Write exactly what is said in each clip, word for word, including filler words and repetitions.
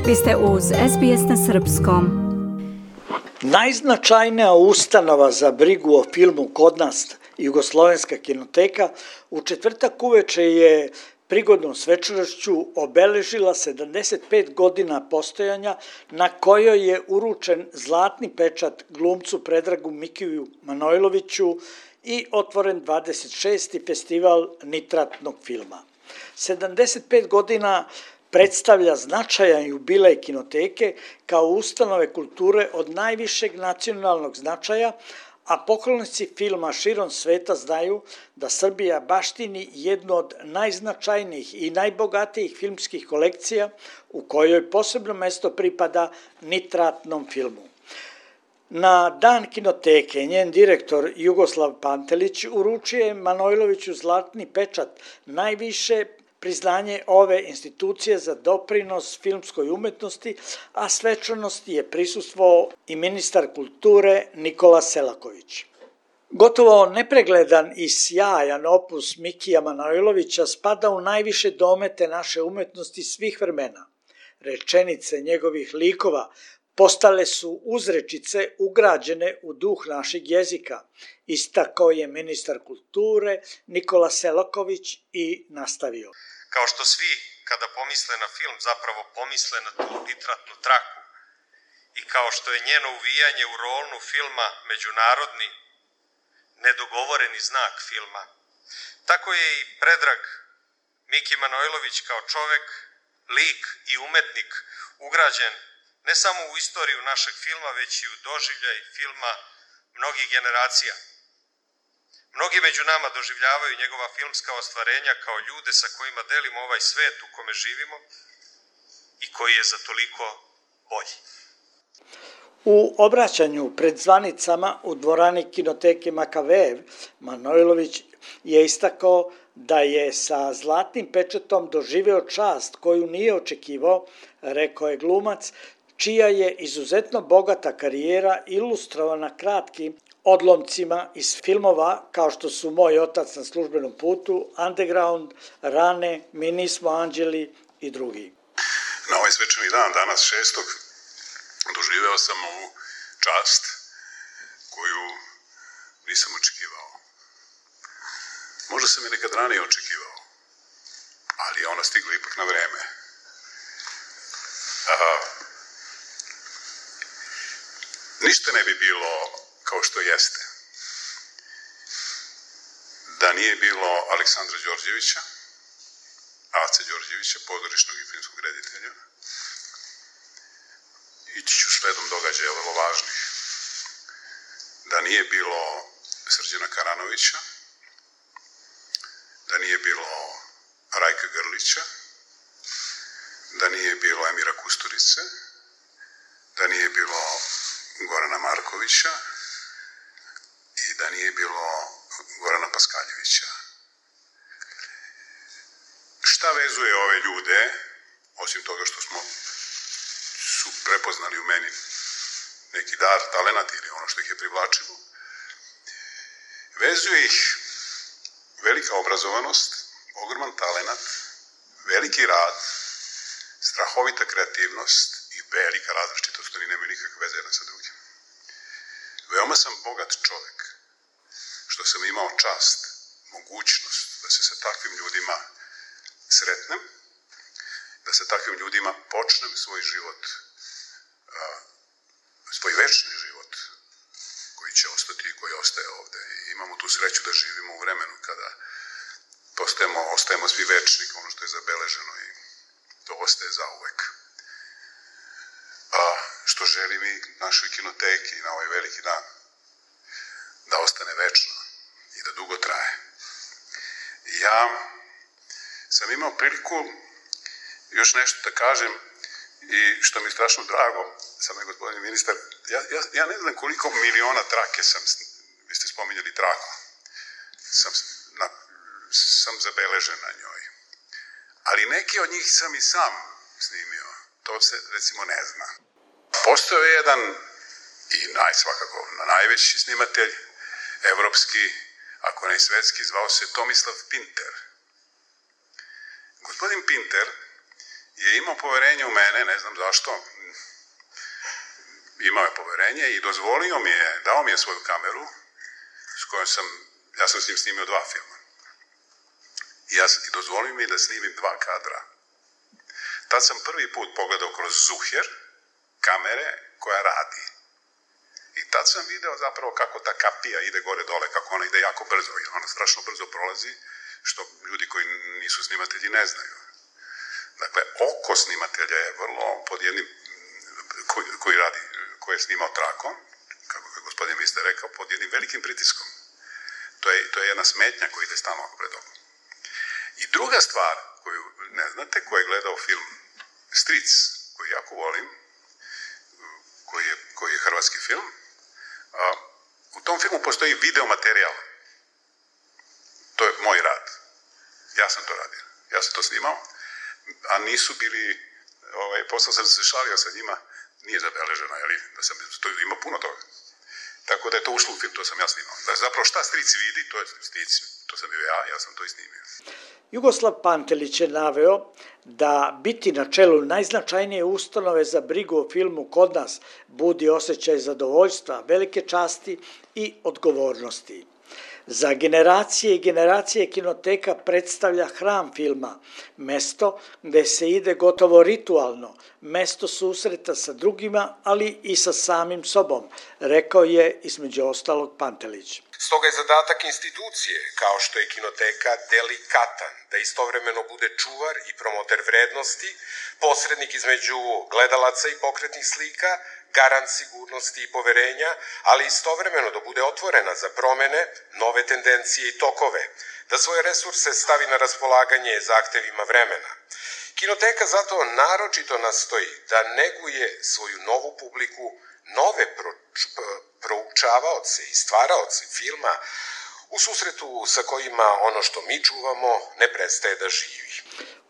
Vi ste uz es be es na srpskom. Najznačajnija ustanova za brigu o filmu kod nas, Jugoslovenska kinoteka, u četvrtak uveče je prigodnom svečanošću obeležila sedamdeset pet godina postojanja, na kojoj je uručen zlatni pečat glumcu Predragu Mikiju Manojloviću i otvoren dvadeset šesti festival nitratnog filma. sedamdeset pet godina predstavlja značajan jubilej kinoteke kao ustanove kulture od najvišeg nacionalnog značaja, a poklonici filma širom sveta znaju da Srbija baštini jednu od najznačajnijih i najbogatijih filmskih kolekcija u kojoj posebno mesto pripada nitratnom filmu. Na dan kinoteke njen direktor Jugoslav Pantelić uručio je Manojloviću zlatni pečat, najviše priznanje ove institucije za doprinos filmskoj umetnosti, a svečanosti je prisustvovao i ministar kulture Nikola Selaković. Gotovo nepregledan i sjajan opus Mikija Manojlovića spada u najviše domete naše umetnosti svih vremena. Rečenice njegovih likova postale su uzrečice ugrađene u duh našeg jezika, istakao je ministar kulture Nikola Selaković i nastavio. Kao što svi, kada pomisle na film, zapravo pomisle na tu nitratnu traku i kao što je njeno uvijanje u rolnu filma međunarodni, nedogovoreni znak filma, tako je i Predrag Miki Manojlović kao čovek, lik i umetnik ugrađen ne samo u istoriju našeg filma, već i u doživljaj filma mnogih generacija. Mnogi među nama doživljavaju njegova filmska ostvarenja kao ljude sa kojima delimo ovaj svet u kome živimo i koji je za toliko bolji. U obraćanju pred zvanicama u dvorani kinoteke Makavejev, Manojlović je istakao da je sa zlatnim pečatom doživeo čast koju nije očekivao, rekao je glumac, čija je izuzetno bogata karijera ilustrovana kratkim odlomcima iz filmova kao što su Moj otac na službenom putu, Underground, Rane, Mi nismo anđeli i drugi. Na ovaj svečani dan, danas šestog, doživeo sam ovu čast koju nisam očekivao. Možda sam je nekad ranije očekivao, ali je ona stigla ipak na vreme. A, ništa ne bi bilo kao što jeste da nije bilo Aleksandra Đorđevića, Ace Đorđevića, pozorišnog i filmskog reditelja. Ići ću sledom događaja vrlo važnih. Da nije bilo Srđana Karanovića, da nije bilo Rajka Grlića, da nije bilo Emira Kusturice, da nije bilo Gorana Markovića i da nije bilo Gorana Paskaljevića. Šta vezuje ove ljude, osim toga što smo su prepoznali u meni neki dar, talenat ili ono što ih je privlačilo, vezuje ih velika obrazovanost, ogroman talenat, veliki rad, strahovita kreativnost i velika različitost, oni nemaju nikakve veze jedna sa drugim. Veoma sam bogat čovek, što sam imao čast, mogućnost da se sa takvim ljudima sretnem, da sa takvim ljudima počnem svoj život, svoj večni život, koji će ostati i koji ostaje ovde. I imamo tu sreću da živimo u vremenu kada postajemo, ostajemo svi večni, ono što je zabeleženo i to ostaje zauvek. A što želim i našoj kinoteki na ovaj veliki dan, da ostane večno i da dugo traje. Ja sam imao priliku još nešto da kažem i što mi je strašno drago, sam je gospodin ministar, ja, ja, ja ne znam koliko miliona trake sam, vi ste spominjali traku, sam, na, sam zabeležen na njoj. Ali neki od njih sam i sam snimio, to se recimo ne zna. Postojao je jedan i naj, svakako najveći snimatelj, evropski, ako ne i svetski, zvao se Tomislav Pinter. Gospodin Pinter je imao poverenje u mene, ne znam zašto, imao je poverenje i dozvolio mi je, dao mi je svoju kameru s kojom sam, ja sam s njim snimio dva filma. I, ja, i dozvolio mi je da snimim dva kadra. Tad sam prvi put pogledao kroz zuher kamere koja radi. I tad sam video zapravo kako ta kapija ide gore dole, kako ona ide jako brzo. I ona strašno brzo prolazi, što ljudi koji nisu snimatelji ne znaju. Dakle, oko snimatelja je vrlo pod jednim, koji, koji radi, koji je snimao trakom, kako je gospodin ministar rekao, pod jednim velikim pritiskom. To je, to je jedna smetnja koja ide stalno pred okom. I druga stvar koju ne znate, ko je gledao film Stric, koji jako volim, koji je, koji je hrvatski film, a, u tom filmu postoji video materijal. To je moj rad. Ja sam to radio. Ja sam to snimao, a nisu bili, ovaj, posle sam se šalio sa njima, nije zabeleženo, jeli, da sam to ima puno toga. Tako da je to ušlo u film, to sam ja snimao. Da zapravo šta Stric vidi, to je Stric, to sam bio ja, ja sam to i snimio. Jugoslav Pantelić je naveo da biti na čelu najznačajnije ustanove za brigu o filmu kod nas budi osjećaj zadovoljstva, velike časti i odgovornosti. Za generacije i generacije kinoteka predstavlja hram filma, mesto gde se ide gotovo ritualno, mesto susreta sa drugima, ali i sa samim sobom, rekao je između ostalog Pantelić. Stoga je zadatak institucije, kao što je kinoteka, delikatan, da istovremeno bude čuvar i promoter vrednosti, posrednik između gledalaca i pokretnih slika, garant sigurnosti i poverenja, ali istovremeno da bude otvorena za promene, nove tendencije i tokove, da svoje resurse stavi na raspolaganje zahtevima vremena. Kinoteka zato naročito nastoji da neguje svoju novu publiku, nove proučavaoce i stvaraoce filma, u susretu sa kojima ono što mi čuvamo ne prestaje da živi.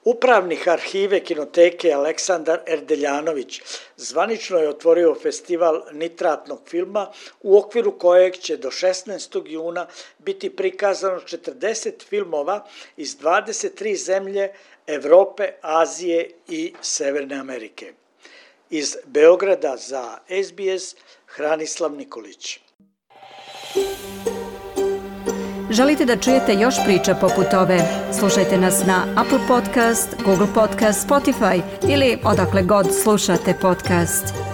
Upravnik arhive kinoteke Aleksandar Erdeljanović zvanično je otvorio festival nitratnog filma u okviru kojeg će do šesnaestog juna biti prikazano četrdeset filmova iz dvadeset tri zemlje Evrope, Azije i Severne Amerike. Iz Beograda za S B S, Hranislav Nikolić. Želite da čujete još priča poput ove? Slušajte nas na Apple Podcast, Google Podcast, Spotify ili odakle god slušate podcast.